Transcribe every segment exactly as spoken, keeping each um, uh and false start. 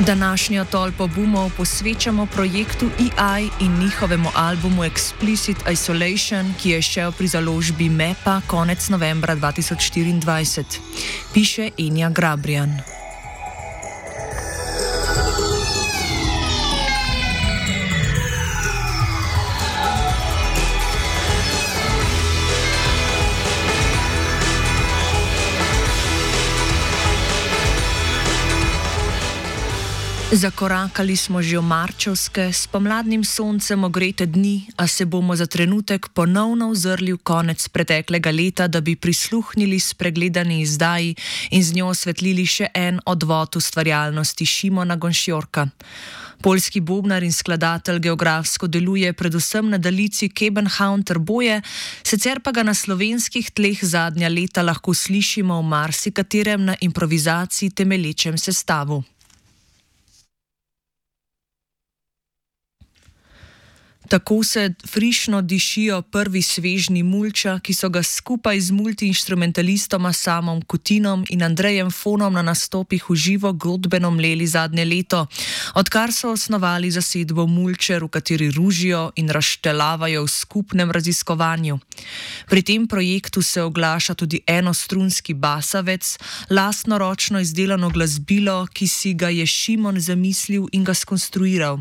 Današnjo tolpo bumov posvečamo projektu E I in njihovemu albumu Explicit Isolation, ki je šel pri založbi Mepa konec novembra dva tisoč štiriindvajset. Piše Enja Grabrijan. Zakorakali smo že v marčevske, s pomladnim soncem ogrete dni, a se bomo za trenutek ponovno ozrli v konec preteklega leta, da bi prisluhnili spregledani izdaji in z njo osvetlili še en odvod ustvarjalnosti Šimona Gonšjorka. Poljski bobnar in skladatelj geografsko deluje predvsem na daljici Kebenhavn-Trboje, sicer pa ga na slovenskih tleh zadnja leta lahko slišimo v marsikaterem na improvizaciji temelječem sestavu. Tako se frišno dišijo prvi svežni Mulča, ki so ga skupaj z multiinštrumentalistoma Samom Kutinom in Andrejem Fonom na nastopih v živo godbeno mleli zadnje leto, odkar so osnovali zasedbo Mulčer, v kateri ružijo in razštelavajo v skupnem raziskovanju. Pri tem projektu se oglaša tudi enostrunski basavec, lastnoročno izdelano glasbilo, ki si ga je Šimon zamislil in ga skonstruiral.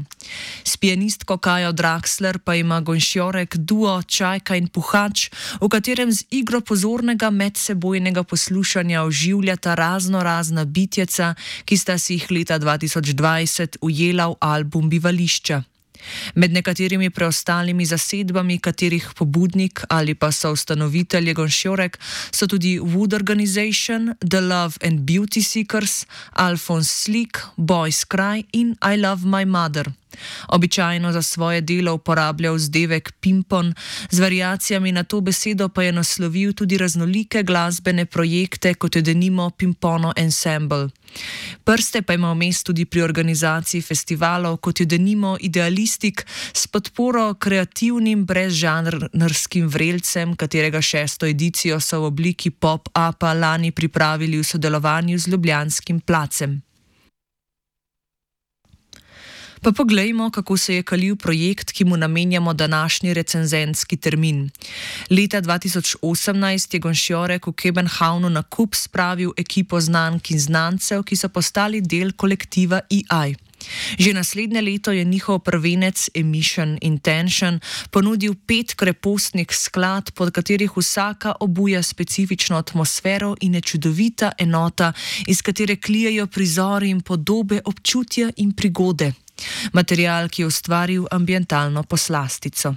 S pianistko Kajo Draxler pa ima Gonšjorek duo Čajka in Puhač, v katerem z igro pozornega medsebojnega poslušanja oživljata razno razna bitjeca, ki sta si jih leta dva tisoč dvajset ujela v album Bivališča. Med nekaterimi preostalimi zasedbami, katerih pobudnik ali pa soustanovitelj je Gonšjorek, so tudi Wood Organization, The Love and Beauty Seekers, Alphonse Slik, Boys Cry in I Love My Mother. Običajno za svoje delo uporablja vzdevek pimpon, z variacijami na to besedo pa je naslovil tudi raznolike glasbene projekte, kot je denimo Pimpono Ensemble. Prste pa ima vmes tudi pri organizaciji festivalov, kot je denimo Idealistik, s podporo kreativnim brezžanrskim vrelcem, katerega šesto edicijo so v obliki pop-upa lani pripravili v sodelovanju z ljubljanskim Placem. Pa poglejmo, kako se je kalil projekt, ki mu namenjamo današnji recenzentski termin. Leta dva tisoč osemnajst je Gonšjorek v Kebenhavnu na kup spravil ekipo znank in znancev, ki so postali del kolektiva E I. Že naslednje leto je njihov prvenec Emission Intention ponudil pet krepostnih skladb, pod katerih vsaka obuja specifično atmosfero in je čudovita enota, iz katere klijejo prizori in podobe, občutja in prigode. Material, ki je ustvaril ambientalno poslastico.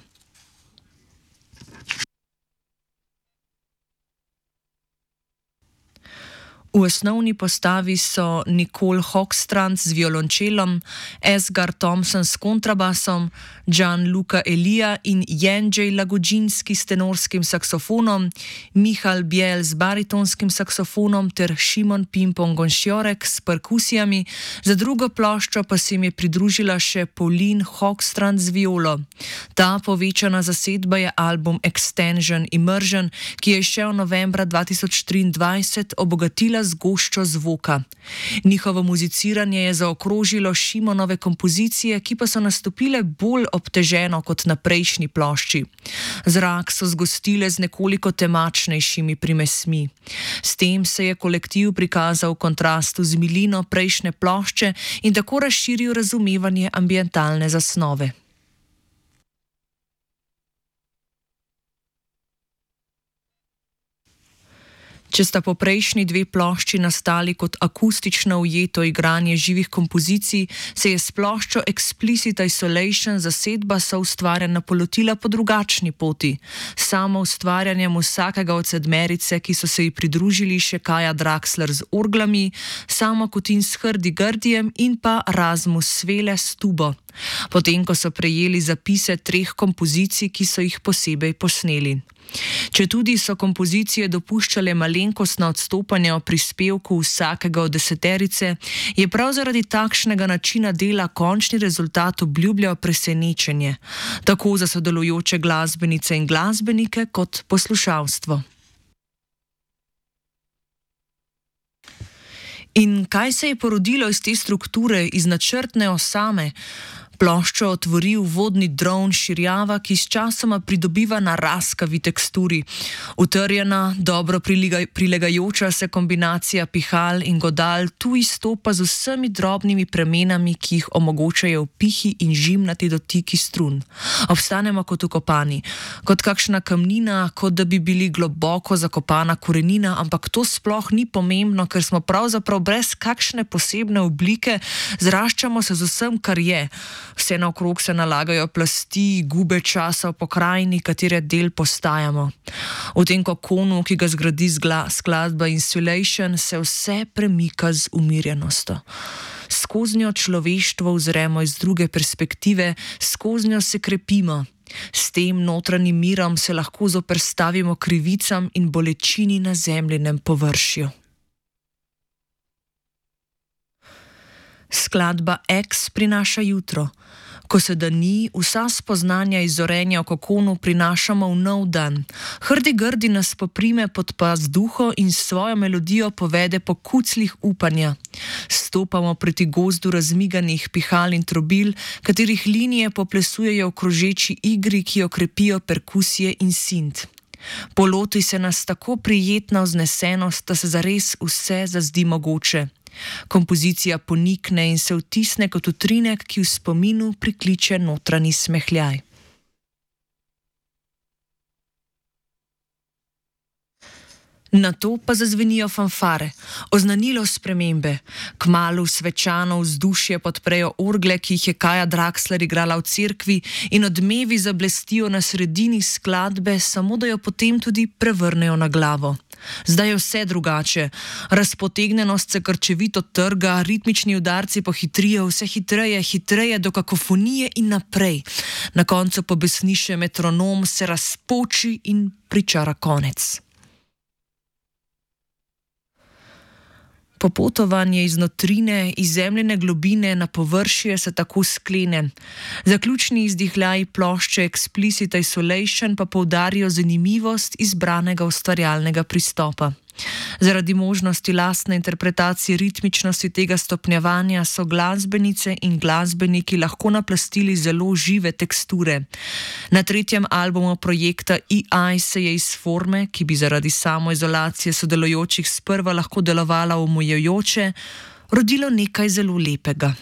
V osnovni postavi so Nicole Hochstrand z violončelom, Esgar Thompson s kontrabasom, Gianluca Elia in Jędrzej Lagodzinski s tenorskim saksofonom, Michal Biel z baritonskim saksofonom ter Šimon Pimpon Gonšjorek s perkusijami, za drugo ploščo pa se jim je pridružila še Pauline Hochstrand z violo. Ta povečana zasedba je album Extension Immersion, ki je šel novembra dva tisoč triindvajset, obogatila z goščo zvoka. Njihovo muziciranje je zaokrožilo Šimonove kompozicije, ki pa so nastopile bolj obteženo kot na prejšnji plošči. Zrak so zgostile z nekoliko temačnejšimi primesmi. S tem se je kolektiv prikazal v kontrastu z milino prejšnje plošče in tako razširil razumevanje ambientalne zasnove. Če sta po prejšnji dve plošči nastali kot akustično ujeto igranje živih kompozicij, se je s ploščo Explicit Isolation zasedba soustvarjanja polotila po drugačni poti. Samo ustvarjanjem vsakega od sedmerice, ki so se ji pridružili še Kaja Draxler z orglami, Samo Kutin s Hrdi-Grdijem in pa Rasmus Svele s tubo. Potem, ko so prejeli zapise treh kompozicij, ki so jih posebej posneli. Četudi so kompozicije dopuščale malenkostna odstopanja v prispevku vsakega od deseterice, je prav zaradi takšnega načina dela končni rezultat obljubljal presenečenje, tako za sodelujoče glasbenice in glasbenike kot poslušalstvo. In kaj se je porodilo iz te strukture, iz načrtne osame? Ploščo otvori vodni dron širjava, ki s časoma pridobiva na raskavi teksturi. Utrjena, dobro prilegaj, prilegajoča se kombinacija pihal in godal tu izstopa z vsemi drobnimi premenami, ki jih omogočajo pihi in žimnati dotiki strun. Obstanemo kot ukopani, kot kakšna kamnina, kot da bi bili globoko zakopana korenina, ampak to sploh ni pomembno, ker smo pravzaprav brez kakšne posebne oblike, zraščamo se z vsem, kar je. Vse naokrog se nalagajo plasti, gube časa v pokrajini, katere del postajamo. V tem kokonu, ki ga zgradi skladba Insulation, se vse premika z umirjenostjo. Skoznjo človeštvo uzremo iz druge perspektive, skoznjo se krepimo. S tem notranjim mirom se lahko zoperstavimo krivicam in bolečini na zemljinem površju. Skladba X prinaša jutro. Ko se dani, vsa spoznanja iz zorenja v kokonu prinašamo v nov dan. Hrdi grdi nas poprime pod pas duho in s svojo melodijo povede po kuclih upanja. Stopamo proti gozdu razmiganih pihal in trobil, katerih linije poplesujejo v krožeči igri, ki jo krepijo perkusije in sint. Poloti se nas tako prijetna vznesenost, da se zares vse zazdi mogoče. Kompozicija ponikne in se vtisne kot utrinek, ki v spominu prikliče notranji smehljaj. Nato pa zazvenijo fanfare, oznanilo spremembe. Kmalu svečano vzdušje podprejo orgle, ki jih je Kaja Draxler igrala v cerkvi, in odmevi zablestijo na sredini skladbe, samo da jo potem tudi prevrnejo na glavo. Zdaj je vse drugače. Razpotegnenost se krčevito trga, ritmični udarci pohitrijo, vse hitreje, hitreje do kakofonije in naprej. Na koncu pobesni še metronom, se razpoči in pričara konec. Popotovanje iz notrine, iz zemljine globine na površje se tako sklene. Zaključni izdihljaji plošče Explicit Isolation pa poudarijo zanimivost izbranega ustvarjalnega pristopa. Zaradi možnosti lastne interpretacije ritmičnosti tega stopnjevanja so glasbenice in glasbeniki lahko naplastili zelo žive teksture. Na tretjem albumu projekta E I se je iz forme, ki bi zaradi samoizolacije sodelujočih sprva lahko delovala omejujoče, rodilo nekaj zelo lepega.